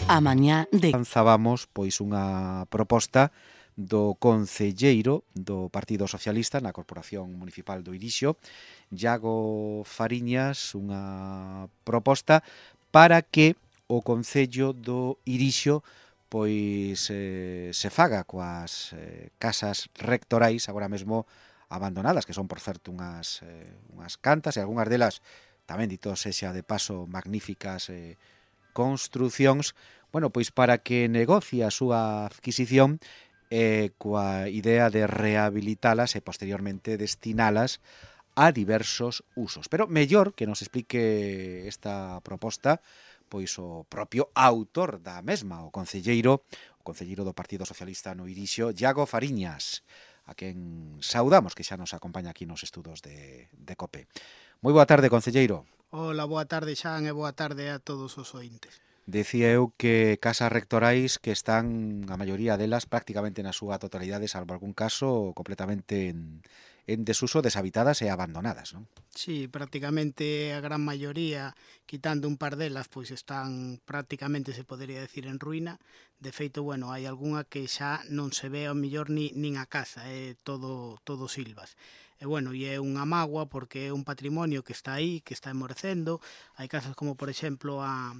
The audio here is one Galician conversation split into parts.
A mañá de... Lanzábamos pois unha proposta do concelleiro do Partido Socialista na Corporación Municipal do Irixo, Iago Fariñas, unha proposta para que o Concello do Irixo pois se faga coas casas rectorais agora mesmo abandonadas, que son, por certo, unhas cantas, e algunhas delas, tamén dito sexa de paso, magníficas construcións, bueno, pois para que negocie a súa adquisición coa idea de rehabilitalas e posteriormente destinalas a diversos usos. Pero mellor que nos explique esta proposta pois o propio autor da mesma, o concelleiro do Partido Socialista no Irixo, Iago Fariñas, a quen saudamos, que xa nos acompaña aquí nos estudos de COPE. Moi boa tarde, concelleiro. Hola, boa tarde, Xan, e boa tarde a todos os ointes. Decía eu que casas rectorais que están, a maioría delas, prácticamente na súa totalidade, salvo algún caso, completamente en desuso, deshabitadas e abandonadas, non? Sí, prácticamente a gran maioría, quitando un par delas, pois están prácticamente, se podería decir, en ruína. De feito, bueno, hai algunha que xa non se ve ao mellor nin a casa, é todo silvas. E bueno, e é unha mágoa porque é un patrimonio que está aí, que está enmorecendo. Hai casas como, por exemplo, a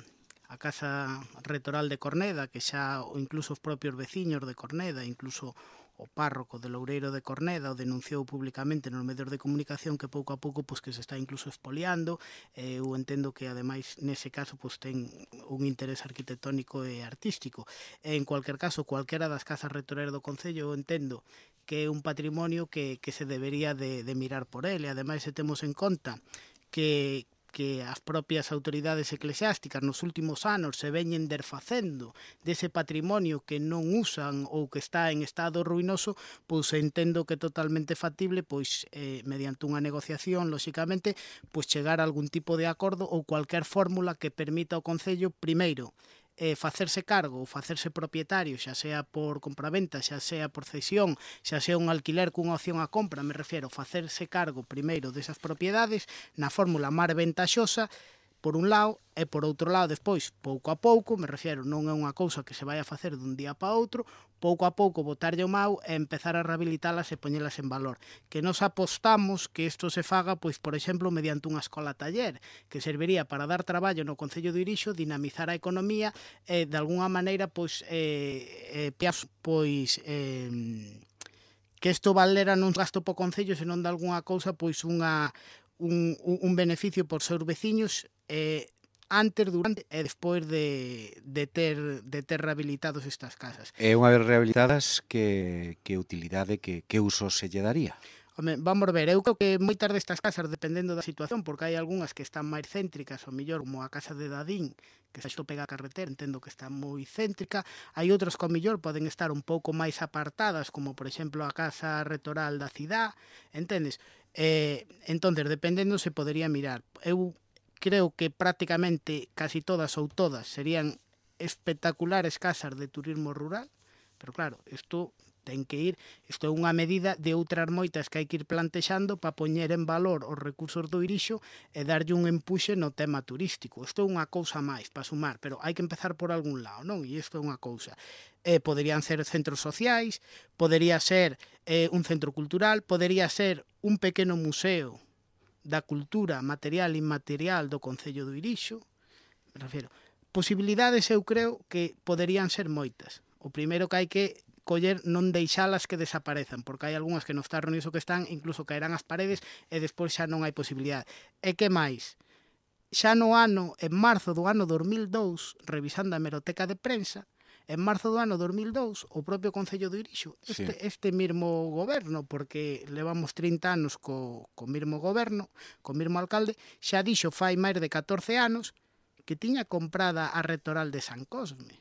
Casa Retoral de Corneda, que xa incluso os propios veciños de Corneda, incluso o párroco de Loureiro de Corneda o denunciou públicamente nos medios de comunicación que pouco a pouco pois que se está incluso expoliando. Eu entendo que ademais nese caso pois ten un interés arquitectónico e artístico. En cualquier caso, cualquera das casas rectorais do Concello eu entendo que é un patrimonio que se debería de mirar por ele. Ademais, se temos en conta que as propias autoridades eclesiásticas nos últimos anos se veñen desfacendo dese patrimonio que non usan ou que está en estado ruinoso, pois entendo que é totalmente factible, pois mediante unha negociación, lóxicamente, pois chegar a algún tipo de acordo ou cualquier fórmula que permita ao Concello, primeiro, facerse cargo ou facerse propietario, xa sea por compraventa, xa sea por cesión, xa sea un alquiler cunha opción a compra, me refiero, facerse cargo primeiro desas propiedades na fórmula máis ventaxosa, por un lado, e por outro lado, despois, pouco a pouco, me refiero, non é unha cousa que se vai a facer dun día para outro, pouco a pouco botarlle o mau e empezar a rehabilitalas e poñelas en valor. Que nos apostamos que isto se faga, pois, por exemplo, mediante unha escola taller, que serviría para dar traballo no Concello do Irixo, dinamizar a economía e, de alguna maneira, pois, que isto valera non gasto po Concello, senón de alguna cousa, pois, un beneficio por seus veciños antes, durante e despois de ter rehabilitados estas casas. E unha vez rehabilitadas, que utilidade, que uso se lle daría? Home, vamos ver, eu creo que moitas destas casas, dependendo da situación, porque hai algunhas que están máis céntricas, ou mellor, como a casa de Dadín, que xa isto pega a carretera, entendo que está moi céntrica. Hai outras que, ao mellor, poden estar un pouco máis apartadas, como, por exemplo, a casa retoral da cidade, entendes? Entonces, dependendo, se podería mirar. Eu creo que prácticamente casi todas ou todas serían espectaculares casas de turismo rural, pero claro, isto ten que ir, isto é unha medida de outras moitas que hai que ir plantexando para poñer en valor os recursos do Irixo e darlle un empuxe no tema turístico. Isto é unha cousa máis para sumar, pero hai que empezar por algún lado, non? E isto é unha cousa. Poderían ser centros sociais, podería ser un centro cultural, podería ser un pequeno museo da cultura material e inmaterial do Concello do Irixo. Me refiero, posibilidades eu creo que poderían ser moitas. O primeiro que hai que coller non deixalas que desaparezan, porque hai algunhas que no estado niso que están, incluso caerán as paredes e despois xa non hai posibilidade. E que máis? Xa en marzo do ano 2002, revisando a hemeroteca de prensa, en marzo do ano 2002, o propio Concello do Irixo, este mesmo goberno, porque levamos 30 anos co mesmo goberno, co mesmo alcalde, xa dixo fai máis de 14 anos que tiña comprada a Rectoral de San Cosme.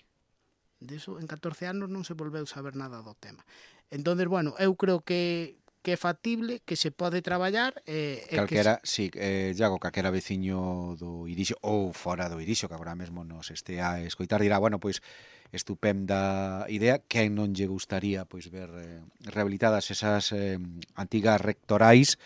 Deso, en 14 anos non se volveu saber nada do tema. Entón, bueno, eu creo que é factible, que se pode traballar. Calquera, sí, Iago, calquera veciño do Irixo ou fora do Irixo, que agora mesmo nos este a escoitar, dirá, bueno, pois, estupenda idea, quen non lle gustaría pois ver rehabilitadas esas antigas rectorais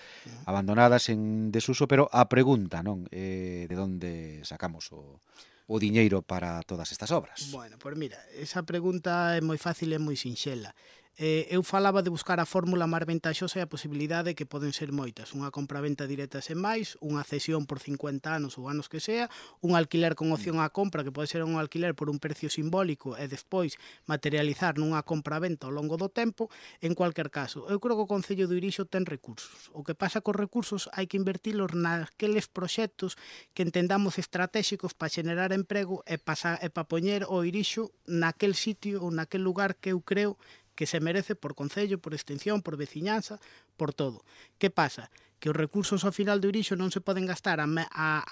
abandonadas en desuso, pero a pregunta, non, de onde sacamos o o diñeiro para todas estas obras? Bueno, pois mira, esa pregunta é moi fácil e moi sinxela. Eu falaba de buscar a fórmula máis ventaxosa e a posibilidade que poden ser moitas. Unha compraventa directa sen máis, unha cesión por 50 anos ou anos que sea, un alquiler con opción á compra, que pode ser un alquiler por un precio simbólico e despois materializar nunha compraventa ao longo do tempo. En cualquier caso, eu creo que o Concello de Irixo ten recursos. O que pasa cos recursos hai que invertilos naqueles proxectos que entendamos estratégicos para xenerar emprego e para poñer o Irixo naquel sitio ou naquel lugar que eu creo que se merece por concello, por extensión, por veciñanza, por todo. Que pasa? Que os recursos ao final do Irixo non se poden gastar a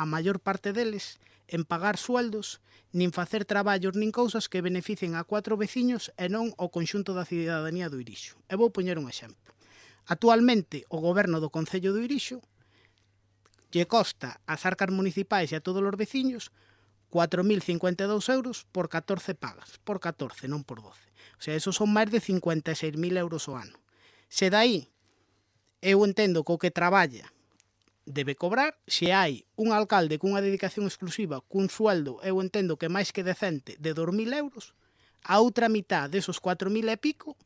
maior parte deles en pagar sueldos, nin facer traballos nin cousas que beneficien a 4 veciños e non ao conxunto da cidadanía do Irixo. E vou poñer un exemplo. Actualmente, o goberno do Concello do Irixo lle costa ás arcas municipais e a todos os veciños 4.052 euros por 14 pagas. Por 14, non por 12. O sea, esos son máis de 56.000 euros ao ano. Se dai, eu entendo que o que traballa debe cobrar. Se hai un alcalde cunha dedicación exclusiva, cun sueldo, eu entendo que máis que decente, de 2.000 euros, a outra mitad desos 4.000 e pico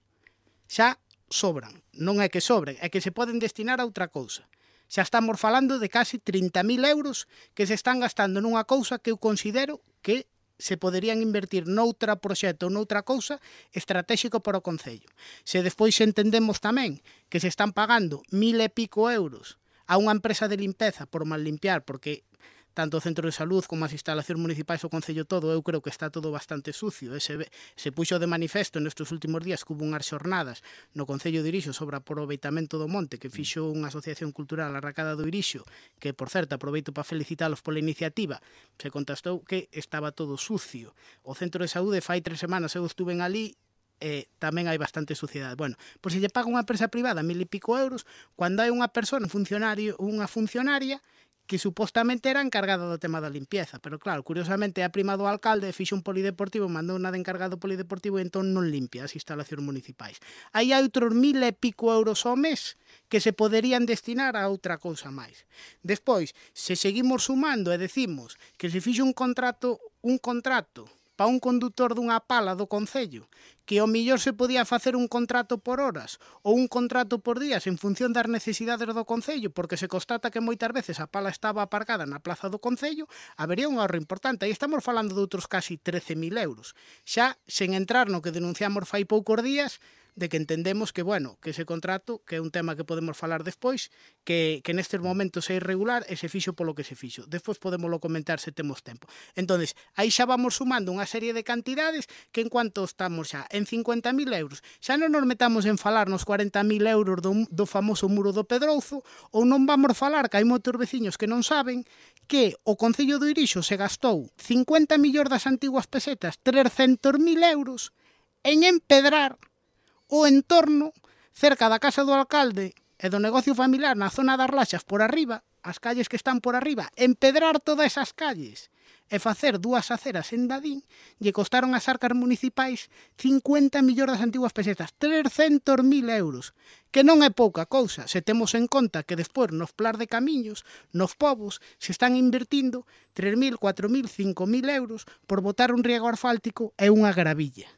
xa sobran. Non é que sobren, é que se poden destinar a outra cousa. Xa estamos falando de casi 30.000 euros que se están gastando nunha cousa que eu considero que se poderían invertir noutra proxecto ou noutra cousa estratégico para o Concello. Se despois entendemos tamén que se están pagando 1.000 e pico euros a unha empresa de limpeza por mal limpiar, porque tanto o centro de salud como as instalacións municipais do Concello todo, eu creo que está todo bastante sucio. Se puxo de manifesto nestes últimos días que hubo unhas xornadas no Concello de Irixo sobre aproveitamento do monte que fixo unha asociación cultural, a Racada do Irixo, que, por certo, aproveito para felicitalos pola iniciativa. Se contestou que estaba todo sucio. O centro de saúde fai 3 semanas eu estuve ali, tamén hai bastante suciedade. Bueno, pois se lle paga unha empresa privada 1.000 e pico euros, cando hai unha persona, unha funcionaria, que supostamente era encargada do tema da limpieza, pero claro, curiosamente a prima do alcalde fixe un polideportivo, mandou unha de encargado polideportivo e entón non limpia as instalacións municipais. Aí hai outros 1.000 e pico euros ao mes que se poderían destinar a outra cousa máis. Despois, se seguimos sumando e decimos que se fixe un contrato para un condutor dunha pala do Concello, que ao millor se podía facer un contrato por horas ou un contrato por días en función das necesidades do Concello, porque se constata que moitas veces a pala estaba aparcada na plaza do Concello, habería un ahorro importante. Aí estamos falando de outros casi 13.000 euros. Xa, sen entrar no que denunciamos fai poucos días, de que entendemos que, bueno, que ese contrato, que é un tema que podemos falar despois, que nestes momentos é irregular e se fixo polo que se fixo. Despois podémoslo comentar se temos tempo. Entonces, aí xa vamos sumando unha serie de cantidades que en cuanto estamos xa en 50.000 euros, xa non nos metamos en falar nos 40.000 euros do famoso muro do Pedrouzo, ou non vamos falar, que hai moitos veciños que non saben, que o Concello do Irixo se gastou 50 millóns das antiguas pesetas, 300.000 euros, en empedrar o entorno cerca da casa do alcalde e do negocio familiar na zona das Laxas por arriba, as calles que están por arriba, empedrar todas esas calles e facer 2 aceras en Dadín, lle costaron as arcas municipais 50 millóns das antiguas pesetas, 300.000 euros, que non é pouca cousa, se temos en conta que despois nos plans de camiños, nos povos, se están invertindo 3.000, 4.000, 5.000 euros por botar un riego asfáltico e unha gravilla.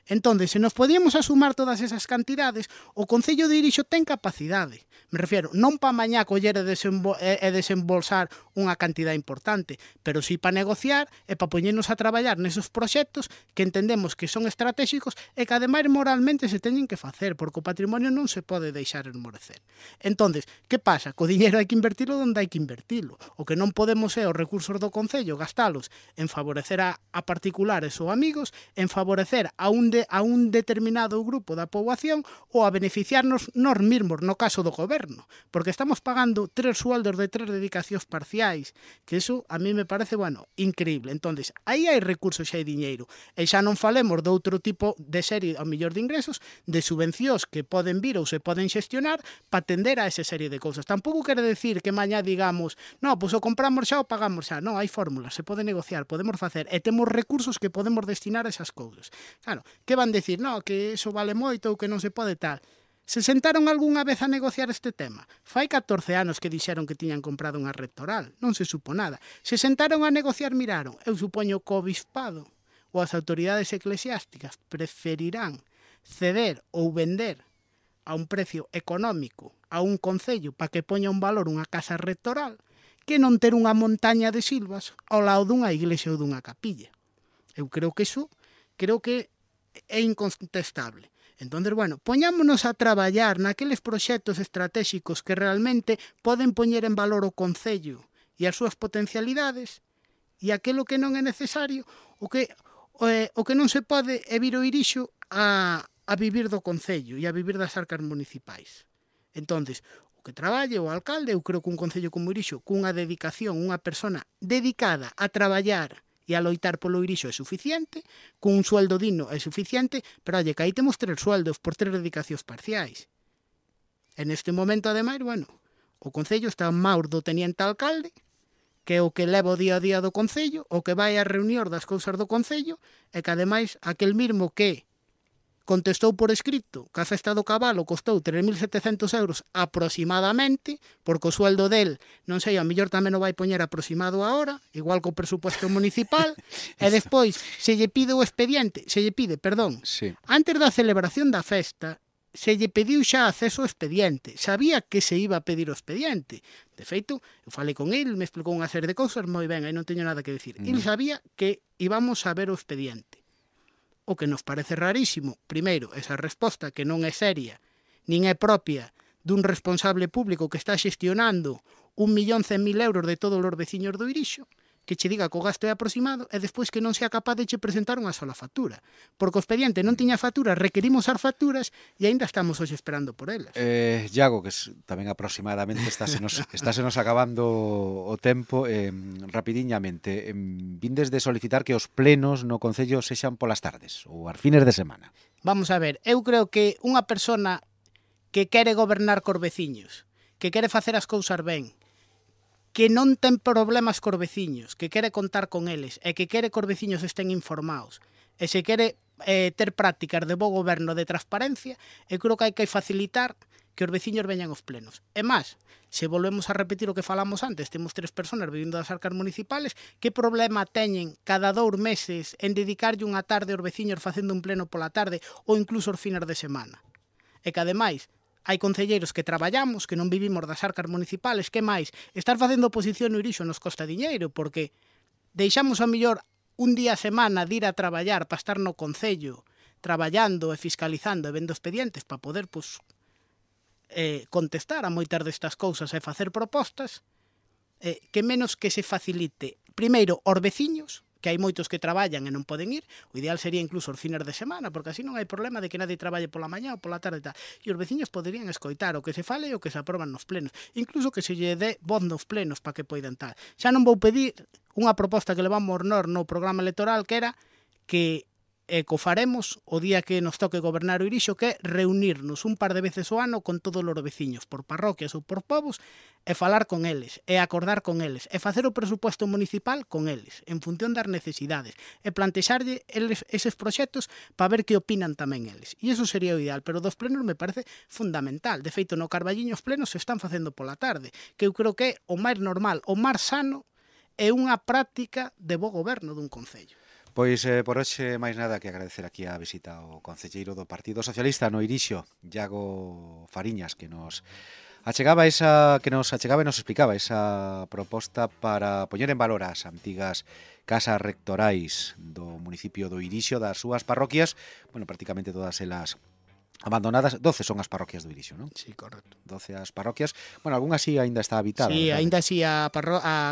Entón, se nos podíamos asumar todas esas cantidades, o Concello de Irixo ten capacidade. Me refiero, non para mañá coller e desembolsar unha cantidad importante, pero sí para negociar e para poñernos a traballar nesos proxectos que entendemos que son estratégicos e que ademais moralmente se teñen que facer, porque o patrimonio non se pode deixar esmorecer. Entón, que pasa? Co diñeiro hai que invertilo onde hai que invertilo. O que non podemos é os recursos do Concello gastalos en favorecer a particulares ou amigos, en favorecer a un determinado grupo da poboación ou a beneficiarnos nós mesmos, no caso do goberno, porque estamos pagando 3 sueldos de 3 dedicacións parciais, que eso a mí me parece, bueno, increíble. Entonces, aí hai recursos, xa hai diñeiro, e xa non falemos de outro tipo de serie, ao millor de ingresos, de subvencións que poden vir ou se poden xestionar para atender a esa serie de cousas. Tampouco quere decir que mañá digamos, no, pois o compramos xa ou pagamos xa. Non, hai fórmulas, se pode negociar, podemos facer, e temos recursos que podemos destinar a esas cousas. Claro, que van decir, no, que eso vale moito ou que non se pode tal. Se sentaron algunha vez a negociar este tema? Fai 14 anos que dixeron que tiñan comprado unha rectoral. Non se supo nada. Se sentaron a negociar, miraron. Eu supoño que o bispado ou as autoridades eclesiásticas preferirán ceder ou vender a un precio económico a un concello para que poña un valor unha casa rectoral que non ter unha montaña de silvas ao lado dunha iglesia ou dunha capilla. Eu creo que iso é incontestable. Entón, bueno, poñámonos a traballar naqueles proxectos estratégicos que realmente poden poñer en valor o concello e as súas potencialidades, e aquilo que non é necesario, o que non se pode é vir o Irixo a vivir do concello e a vivir das arcas municipais. Entón, o que traballe o alcalde, eu creo que un concello como Irixo, cunha dedicación, unha persona dedicada a traballar e a loitar polo Irixo é suficiente, cun sueldo digno é suficiente, pero oye, que aí temos 3 sueldos por 3 dedicacións parciais. En este momento, ademais, bueno, o Concello está en maus do teniente alcalde, que é o que leva o día a día do Concello, o que vai a reunión das cousas do Concello, e que ademais aquel mismo que contestou por escrito que a festa do cabalo costou 3.700 euros aproximadamente, porque o sueldo del, non sei, a mellor tamén o vai poñer aproximado ahora, igual co presupuesto municipal, e despois se lle pide, Sí. antes da celebración da festa, se lle pediu xa acceso ao expediente. Sabía que se iba a pedir o expediente. De feito, eu falei con el, me explicou unha serie de cousas, moi ben, aí non teño nada que decir. El sabía que íbamos a ver o expediente. O que nos parece rarísimo, primeiro, esa resposta que non é seria, nin é propia dun responsable público que está xestionando 1.100.000 euros de todos os veciños do Irixo, que che diga que o gasto é aproximado e despois que non sea capaz de che presentar unha sola factura. Porque o expediente non tiña factura, requerimos as facturas e aínda estamos hoxe esperando por elas. Iago, que tamén aproximadamente estásenos acabando o tempo, rapidiñamente, vindes de solicitar que os plenos no Concello sexan polas tardes ou as fines de semana. Vamos a ver, eu creo que unha persona que quere gobernar cos veciños, que quere facer as cousas ben, que non ten problemas cos veciños, que quere contar con eles e que quere que os veciños estén informados e se quere ter prácticas de bo goberno, de transparencia, eu creo que hai que facilitar que os veciños veñan aos plenos. E máis, se volvemos a repetir o que falamos antes, temos 3 personas vivindo das arcas municipales, que problema teñen cada 2 meses en dedicarlle unha tarde aos veciños facendo un pleno pola tarde ou incluso os fines de semana? E que ademais, hai concelleiros que traballamos, que non vivimos das arcas municipales, que máis? Estar facendo oposición no Irixo nos costa diñeiro, porque deixamos a mellor un día a semana de ir a traballar para estar no Concello, traballando e fiscalizando e vendo expedientes para poder contestar a moitas destas cousas e facer propostas, que menos que se facilite, primeiro, aos veciños, que hai moitos que traballan e non poden ir, o ideal sería incluso os fines de semana, porque así non hai problema de que nadie traballe pola mañá ou pola tarde e tal. E os veciños poderían escoitar o que se fale e o que se aproban nos plenos, incluso que se lle dé voz nos plenos para que poidan tal. Xa non vou pedir unha proposta que levamos nós no programa electoral, que era que co faremos o día que nos toque gobernar o Irixo, que é reunirnos un par de veces ao ano con todos os veciños, por parroquias ou por povos, e falar con eles, e acordar con eles, e facer o presupuesto municipal con eles, en función das necesidades, e plantexarlle eses proxectos para ver que opinan tamén eles. E iso sería o ideal, pero dos plenos me parece fundamental. De feito, no Carballiño os plenos se están facendo pola tarde, que eu creo que é o máis normal, o máis sano, é unha práctica de bo goberno dun concello. Pois por hoxe máis nada que agradecer aquí a visita ao concelleiro do Partido Socialista no Irixo, Iago Fariñas, que nos achegaba e nos explicaba esa proposta para poñer en valor as antigas casas rectorais do municipio do Irixo, das súas parroquias, bueno, prácticamente todas elas abandonadas. 12 son as parroquias do Irixo, non? Sí, correcto. 12 as parroquias. Bueno, algunha así aínda está habitada. Sí, verdade? aínda así a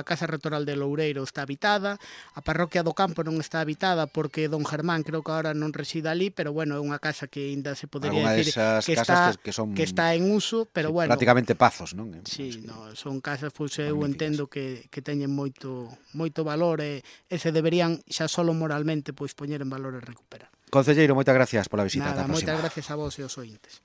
Casa Rectoral de Loureiro está habitada, a Parroquia do Campo non está habitada porque don Germán creo que agora non reside ali, pero bueno, é unha casa que aínda se podería decir que está en uso, pero sí, bueno, prácticamente pazos, non? Sí, no, son casas, pois eu entendo que teñen moito valor e se deberían xa solo moralmente pois poñer en valor e recuperar. Concelleiro, moitas gracias pola visita. Nada, moitas gracias a vos e aos ointes.